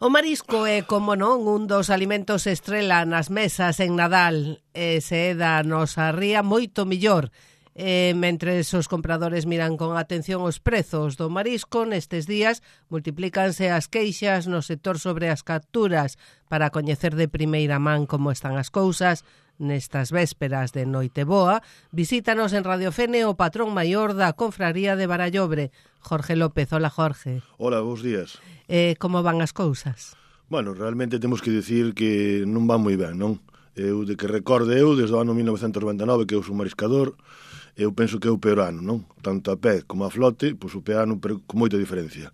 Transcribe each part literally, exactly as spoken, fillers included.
O marisco é, como non, un dos alimentos estrela nas mesas en Nadal, e se é da nosa ría moito millor. E, mentre os compradores miran con atención os prezos do marisco, nestes días multiplícanse as queixas no sector sobre as capturas. Para coñecer de primeira man como están as cousas nestas vésperas de Noiteboa, visítanos en Radio Fene o patrón maior da Confraría de Barallobre, Jorge López. Hola, Jorge. Hola, bons días. Eh, como van as cousas? Bueno, realmente temos que dicir que non van moi ben, non? Eu, de que recorde eu, desde o ano mil novecentos noventa e nove, que eu sou mariscador, eu penso que é o peor ano, non? Tanto a pé como a flote, pois o peor ano con moita diferencia.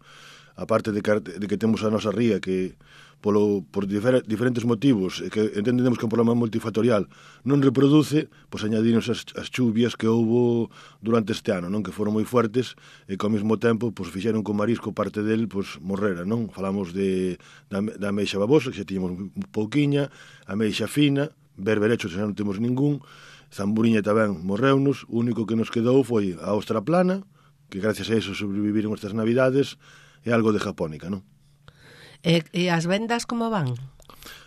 A parte de que, de que temos a nosa ría que polo, por difer, diferentes motivos, e que entendemos que é un problema multifactorial, non reproduce, pois añadinos as, as chuvias que houbo durante este ano, non? Que foron moi fuertes e que ao mesmo tempo pois fixeron que o marisco parte del pois morrera, non? Falamos de da, da ameixa babosa, que xa tiñamos un pouquiña, ameixa fina, berberecho xa non temos ningún, zamburiña tamén morreunos, o único que nos quedou foi a ostra plana, que gracias a eso sobreviviron estas navidades, e algo de japónica, non? E, e as vendas como van?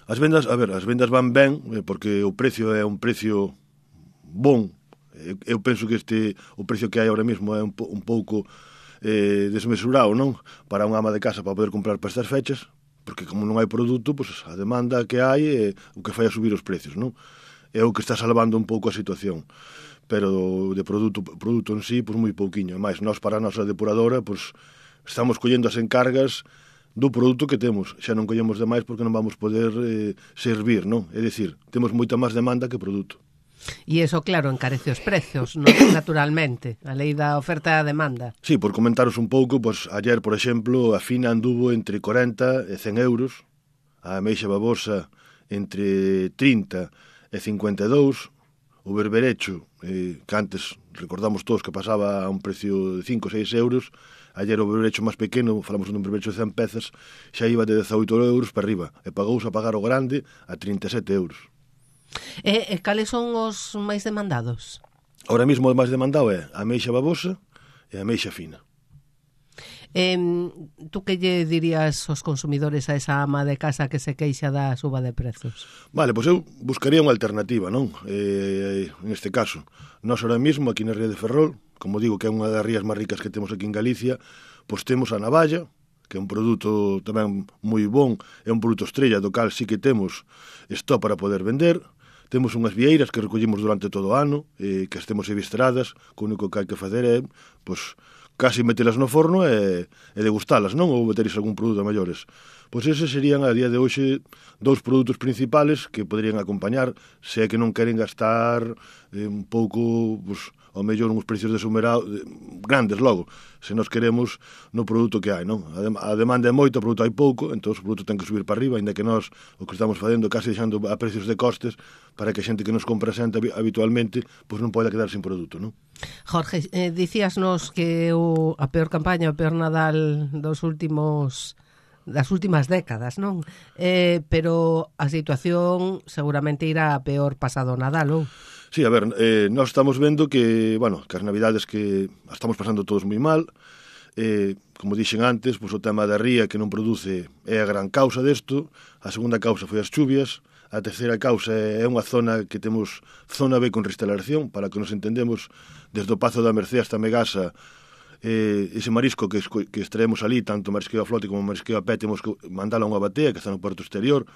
As vendas, a ver, as vendas van ben, porque o precio é un precio bon. Eu penso que este o precio que hai ahora mesmo é un, po, un pouco eh, desmesurado, non? Para unha ama de casa para poder comprar para estas fechas, porque como non hai produto, pois a demanda que hai é o que fai a subir os precios, non? É o que está salvando un pouco a situación. Pero de produto produto en sí, pois moi pouquiño. Mais, nós para a nosa depuradora, pois estamos collendo as encargas do produto que temos. Xa non collemos demais porque non vamos poder eh, servir, non? É dicir, temos moita máis demanda que produto. E iso, claro, encarece os precios, non? Naturalmente, a lei da oferta e a demanda. Sí, por comentaros un pouco, pois ayer, por exemplo, a fina anduvo entre corenta e cen euros, a ameixa babosa entre trinta e cincuenta e dous, o berberecho, eh, que antes recordamos todos que pasaba a un precio de cinco ou seis euros, ayer o berberecho máis pequeno, falamos dun berberecho de cen pezas, xa iba de dezaoito euros para arriba, e pagouse a pagar o grande a trinta e sete euros. E, e cales son os máis demandados? Ahora mesmo o máis demandado é a ameixa babosa e a ameixa fina. Eh, tú que lle dirías aos consumidores a esa ama de casa que se queixa da suba de prezos? Vale, pois eu buscaría unha alternativa, non? Eh, en este caso, nós ahora mesmo aquí na ría de Ferrol, como digo que é unha das rías máis ricas que temos aquí en Galicia, pois temos a navalla, que é un produto tamén moi bon, é un produto estrella do cal sí que temos esto para poder vender. Temos unhas vieiras que recollimos durante todo o ano, eh, que as temos evistradas, que o único que hai que facer é, pois, casi metelas no forno e, e degustalas, non? Ou meteres algún produto a maiores. Pois ese serían, a día de hoxe, dous produtos principales que poderían acompañar, se é que non queren gastar eh, un pouco, pois, ao mellor uns precios desumerado, grandes logo, se nos queremos no produto que hai, non? A demanda é moita, o produto hai pouco, entón o produto ten que subir para arriba, ainda que nós o que estamos facendo case deixando a precios de costes para que a xente que nos compra xente habitualmente pois non poida quedar sin produto, non? Jorge, eh, dicíasnos que o, a peor campaña, o peor Nadal dos últimos das últimas décadas, non? Eh, pero a situación seguramente irá a peor pasado Nadal, ou? Sí, a ver, eh, nós estamos vendo que, bueno, que as navidades que estamos pasando todos moi mal, eh, como dixen antes, pois o tema da ría que non produce é a gran causa desto, a segunda causa foi as chuvias, a terceira causa é unha zona que temos zona B con restauración, para que nos entendemos, desde o Pazo da Mercé hasta Megasa, eh, ese marisco que, que extraemos ali, tanto marisqueo a flote como marisqueo a pé, temos que mandalo a unha batea que está no porto exterior,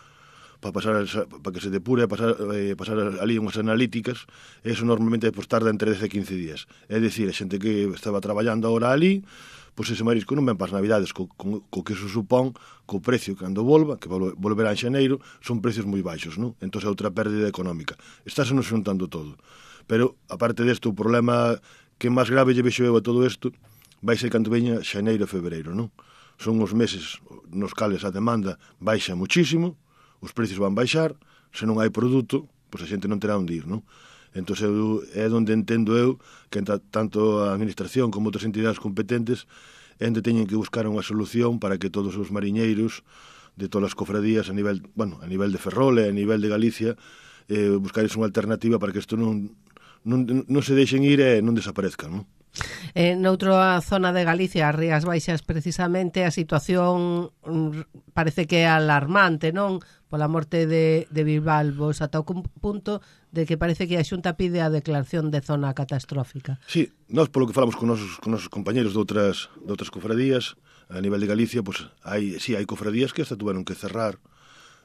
para pasar para que se depure, pasar, eh, pasar ali unhas analíticas, e eso normalmente pues, tarda entre dez e quince días. É dicir, a xente que estaba traballando agora ali, pois pues ese marisco non ven para as navidades, co, co, co que eso supón, co precio cando volva, que volverá en xaneiro, son precios moi baixos, non? Entón é outra pérdida económica. Estáse nos xuntando todo. Pero, aparte desto, o problema que máis grave lle vexo eu a todo isto, vai ser cando veña xaneiro e febreiro, non? Son os meses nos cales a demanda baixa muchísimo, os precios van baixar, se non hai produto, pois a xente non terá onde ir, non? Entón é onde entendo eu que tanto a administración como outras entidades competentes é onde teñen que buscar unha solución para que todos os mariñeiros de todas as cofradías a nivel, bueno, a nivel de Ferrol e a nivel de Galicia eh, buscares unha alternativa para que isto non, non, non se deixen ir e non desaparezcan, non? Eh, noutra zona de Galicia, as Rías Baixas precisamente, a situación mm, parece que é alarmante, non? Pola morte de, de bivalvos, ata o punto de que parece que a Xunta pide a declaración de zona catastrófica. Sí, nós polo que falamos con nosos, con nosos compañeros de outras, de outras cofradías, a nivel de Galicia, pues, hai, sí, hai cofradías que hasta tuveron que cerrar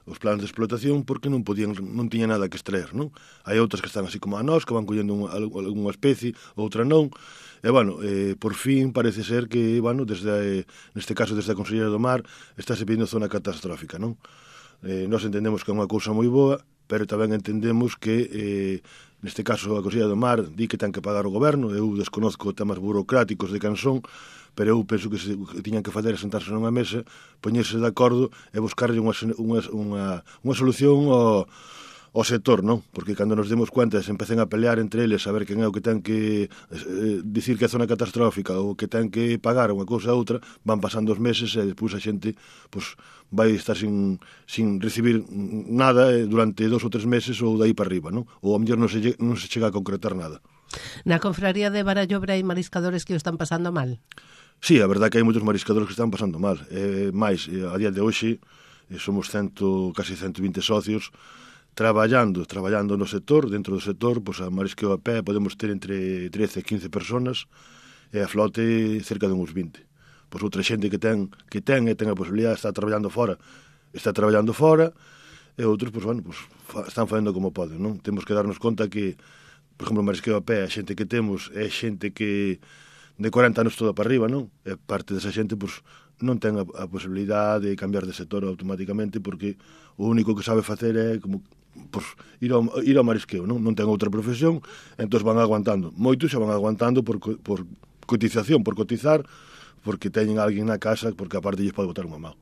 os planos de explotación porque non podían, non tiña nada que extraer, non? Hai outras que están así como a nós, que van collendo un, algunha especie, outra non. E, bueno, eh, por fin parece ser que, bueno, desde, neste caso, desde a Consellería do Mar, estáse pedindo zona catastrófica, non? Eh, nós entendemos que é unha cousa moi boa, pero tamén entendemos que, eh, neste caso, a Consellería do Mar di que ten que pagar o goberno. Eu desconozco temas burocráticos de Cansón, pero eu penso que, se, que tiñan que fazer é sentarse nunha mesa, poñerse de acordo e buscarlle unha, unha, unha, unha solución ao, ao sector, non? Porque cando nos demos cuenta se empecen a pelear entre eles a ver quen é o que ten que eh, dicir que é zona catastrófica ou que ten que pagar unha cousa a outra, van pasando os meses e despois a xente pues, vai estar sin, sin recibir nada eh, durante dos ou tres meses ou dai para arriba, non? Ou a mellor non se, non se chega a concretar nada. Na confraría de Barallobre hai mariscadores que o están pasando mal? Sí, a verdade que hai moitos mariscadores que están pasando mal. Eh, máis, eh, a día de hoxe eh, somos cento, casi ciento vinte socios traballando, traballando no sector. Dentro do sector, pois, a marisqueo a pé podemos ter entre trece e quince personas e a flote cerca de uns vinte. Pois outra xente que ten que ten e ten a posibilidade de estar traballando fora, está traballando fora, e outros, pois, bueno, pois, fa, están facendo como poden, non? Temos que darnos conta que, por exemplo, o marisqueo a pé, a xente que temos é xente que de corenta anos toda para arriba, non? E parte desa xente, pois, non ten a, a posibilidade de cambiar de sector automáticamente porque o único que sabe facer é como, pois, ir ao, ir ao marisqueo, non? Non ten outra profesión, entón van aguantando. Moitos xa van aguantando por, por cotización, por cotizar, porque teñen alguén na casa, porque aparte lles pode botar unha mão.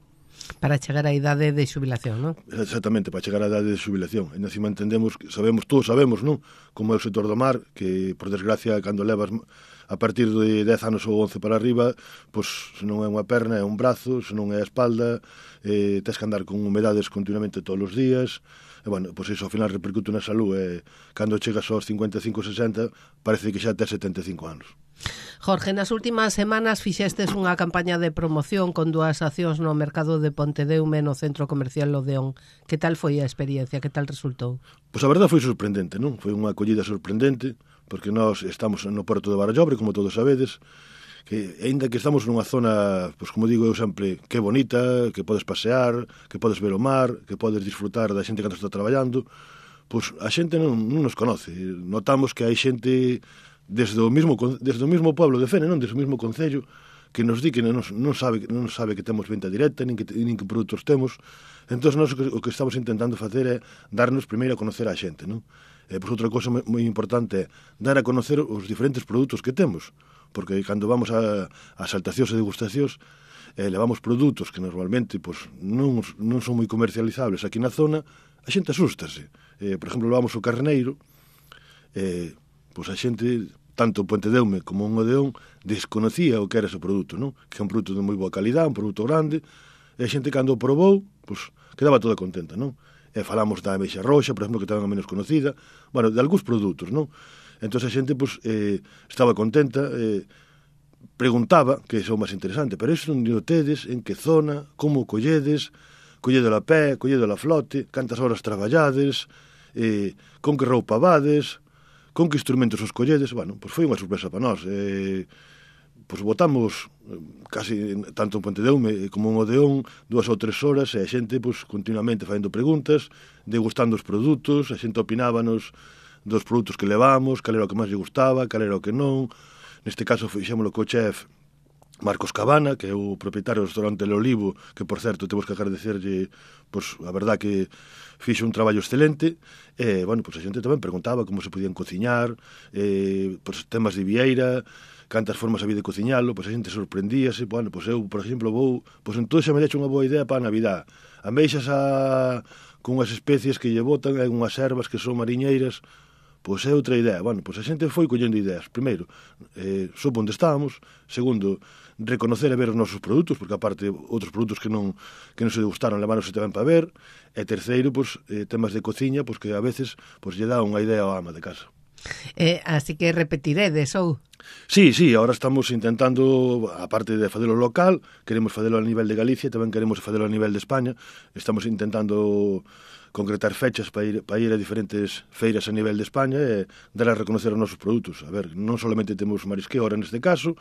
Para chegar á idade de xubilación, non? Exactamente, para chegar á idade de xubilación. E encima entendemos, sabemos, todos sabemos, non? Como é o sector do mar, que, por desgracia, cando levas a partir de dez anos ou once para arriba, pois, se non é unha perna, é un brazo, se non é a espalda, eh, tens que andar con humedades continuamente todos os días, e, bueno, pois iso ao final repercute na salud, e cando chegas aos cincuenta e cinco, sesenta, parece que xa tes setenta e cinco anos. Jorge, nas últimas semanas fixestes unha campaña de promoción con dúas accións no mercado de Pontedeume no centro comercial Odeón. Que tal foi a experiencia? Que tal resultou? Pois a verdade foi sorprendente, non? Foi unha acollida sorprendente, porque nós estamos no porto de Barallobre, como todos sabedes, que ainda que estamos nunha zona, pois como digo eu sempre, que é bonita, que podes pasear, que podes ver o mar, que podes disfrutar da xente cando está traballando, pois a xente non, non nos conoce. Notamos que hai xente desde o mismo desde o mismo pueblo de Fene, non, desde o mismo concello, que nos di que non, non sabe non sabe que temos venta directa, nin que nin que produtos temos. Entón nós o que, o que estamos intentando facer é darnos primeiro a conocer a xente, non? E, pois, outra cousa moi importante é dar a conocer os diferentes produtos que temos, porque cando vamos a, a saltacións e degustacións, eh, levamos produtos que normalmente pois, non, non son moi comercializables aquí na zona, a xente asústase. Eh, por exemplo, levamos o carneiro, eh, pois a xente, tanto Pontedeume como un Odeón, desconocía o que era ese produto, non? Que é un produto de moi boa calidad, un produto grande, e a xente cando o probou, pois, quedaba toda contenta, non? E falamos da ameixa roxa, por exemplo, que tamén é menos conocida, bueno, de algúns produtos, non? Entón a xente, pois, eh, estaba contenta, eh, preguntaba, que é o máis interesante, pero iso non o tedes, en que zona, como o colledes, colledelo a pé, colledelo a flote, cantas horas traballades, eh, con que roupa vades, con que instrumentos os colledes, bueno, pois foi unha sorpresa para nós. Eh, pois botamos casi tanto en Pontedeume como en Odeón dúas ou tres horas e a xente pois continuamente facendo preguntas, degustando os produtos, a xente opinábanos dos produtos que levamos, cal era o que máis lle gustaba, cal era o que non. Neste caso fixémolo co chef Marcos Cabana, que é o propietario do restaurante El Olivo, que, por certo, temos que agradecerlle, pois, a verdad que fixo un traballo excelente, e, bueno, pois a xente tamén preguntaba como se podían cociñar, eh, pois, temas de vieira, cantas formas había de cociñalo, pois a xente sorprendíase, bueno, pois eu, por exemplo, vou, pois entón xa me deixo unha boa idea para a Navidad. Ameixas a con unhas especies que lle botan, e unhas ervas que son mariñeiras, pois é outra idea. Bueno, pois a xente foi collendo ideas. Primeiro, eh, sopo onde estábamos. Segundo, reconocer e ver os nosos produtos, porque aparte outros produtos que non que non se degustaron leváronse tamén para ver. E terceiro, pois, eh, temas de cociña, pois que a veces pois lle dá unha idea ao ama de casa. Eh, así que repetiredes, ou? Sí, sí, ahora estamos intentando, aparte de facelo local, queremos facelo a nivel de Galicia, tamén queremos facelo a nivel de España. Estamos intentando concretar fechas para ir, para ir a diferentes feiras a nivel de España e dar a reconocer os nosos produtos. A ver, non solamente temos marisqueo ahora neste caso,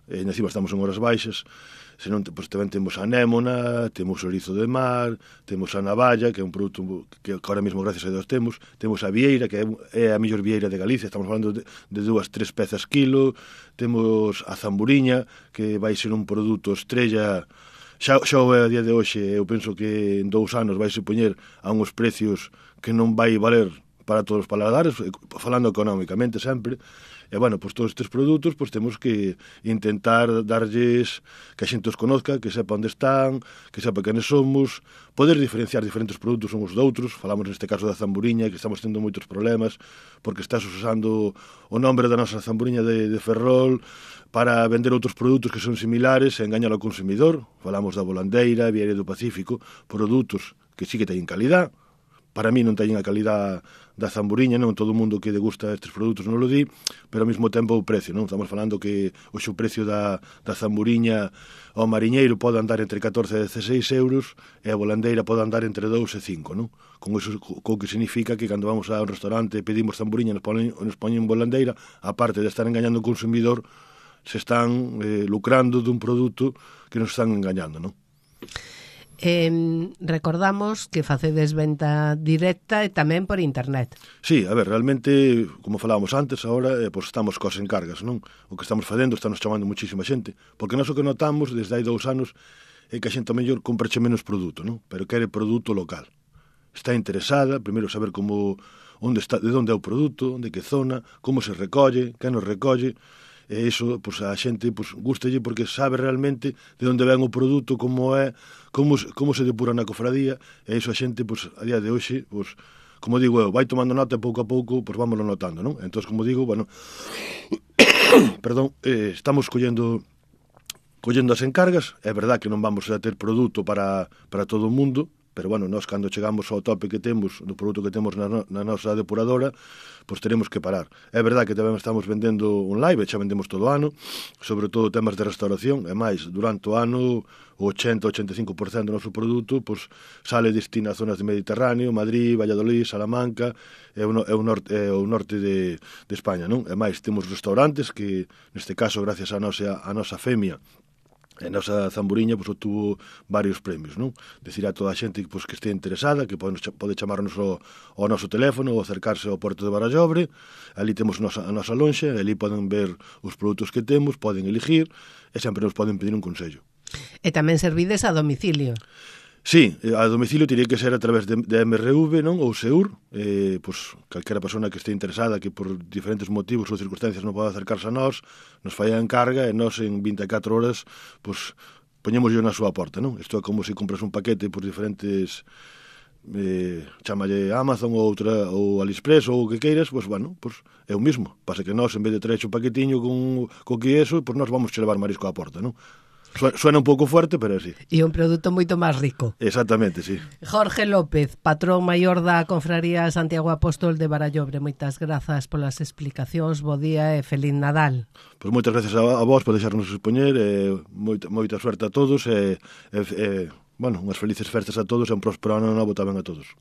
e encima estamos en horas baixas, senón pues, tamén temos a anémona, temos o erizo de mar, temos a navalla, que é un produto que ahora mesmo gracias a Deus temos, temos a vieira, que é a mellor vieira de Galicia, estamos falando de, de dúas, tres pezas kilo, temos a zamburiña, que vai ser un produto estrella. Xa, xa a día de hoxe, eu penso que en dous anos vai se poñer a uns precios que non vai valer para todos os paladares, falando económicamente sempre. E, bueno, pois todos estes produtos pois temos que intentar darlles que a xente os conozca, que sepa onde están, que sepa quenes somos, poder diferenciar diferentes produtos uns doutros. Falamos neste caso da zamburiña, que estamos tendo moitos problemas porque estás usando o nombre da nosa zamburiña de, de Ferrol para vender outros produtos que son similares e engañar ao consumidor. Falamos da volandeira, Vieira do Pacífico, produtos que sí que teñen calidad. Para mí non teñen a calidad da zamburiña, non todo o mundo que degusta estes produtos non lo di, pero ao mesmo tempo o precio, non? Estamos falando que o seu precio da, da zamburiña ao mariñeiro pode andar entre catorce e dezasseis euros e a volandeira pode andar entre dous e cinco, non? Con iso co que significa que cando vamos a un restaurante e pedimos zamburiña nos ponen, nos ponen volandeira, aparte de estar engañando o consumidor, se están eh, lucrando dun produto que nos están engañando, non? Eh, recordamos que facedes venta directa e tamén por internet. Sí, a ver, realmente, como falábamos antes, agora eh, pues estamos cos encargas, non? O que estamos facendo, estamos chamando muchísima xente, porque nós o que notamos desde hai dous anos é que a xente a mellor comprache menos produto, non? Pero quere produto local. Está interesada, primeiro saber como onde está, de onde é o produto, de que zona, como se recolle, quen nos recolle. E iso, pois, a xente pois, gustalle porque sabe realmente de onde ven o produto, como é, como, como se depura na cofradía, e iso a xente, pois, a día de hoxe, pois, como digo eu, vai tomando nota e pouco a pouco, pois vámoslo notando, non? Entón, como digo, bueno, perdón, eh, estamos collendo collendo as encargas, é verdad que non vamos a ter produto para, para todo o mundo, pero, bueno, nós cando chegamos ao tope que temos, do produto que temos na, no, na nosa depuradora, pois teremos que parar. É verdade que tamén estamos vendendo un live, xa vendemos todo o ano, sobre todo temas de restauración, e máis, durante o ano, o ochenta a ochenta e cinco por cento do noso produto pois, sale destina a zonas de Mediterráneo, Madrid, Valladolid, Salamanca, e o, e o norte, e o norte de, de España, non? E máis, temos restaurantes que, neste caso, gracias a nosa, a nosa femia, a nosa zamburiña pois, obtuvo varios premios, non? Decir a toda a xente pois, que este interesada, que pode, pode chamarnos ao, ao noso teléfono ou acercarse ao Porto de Barallobre. Ali temos nosa, a nosa lonxa, ali poden ver os produtos que temos, poden elegir e sempre nos poden pedir un consello. E tamén servides a domicilio. Sí, a domicilio tiría que ser a través de, de M R V, non? Ou SEUR, eh, pois, calquera persona que este interesada, que por diferentes motivos ou circunstancias non pode acercarse a nós, nos fai a encarga e nós en vinte e catro horas, pois, poñemos yo na súa porta, non? Isto é como se compras un paquete por diferentes, eh, chamalle Amazon ou outra, ou AliExpress ou o que queiras, pois, bueno, pois, é o mismo. Pasa que nós, en vez de traer un paquetiño con, con que eso, pois nós vamos che levar marisco á porta, non? Suena un pouco fuerte, pero sí. E un produto moito máis rico. Exactamente, sí. Jorge López, patrón maior da Confraría Santiago Apóstol de Barallobre. Moitas grazas polas explicacións, bo día e feliz Nadal. Pois moitas gracias a, a vos por deixarnos expoñer, e moita, moita suerte a todos, e, e, e bueno, unhas felices festas a todos e un próspero ano novo tamén a todos.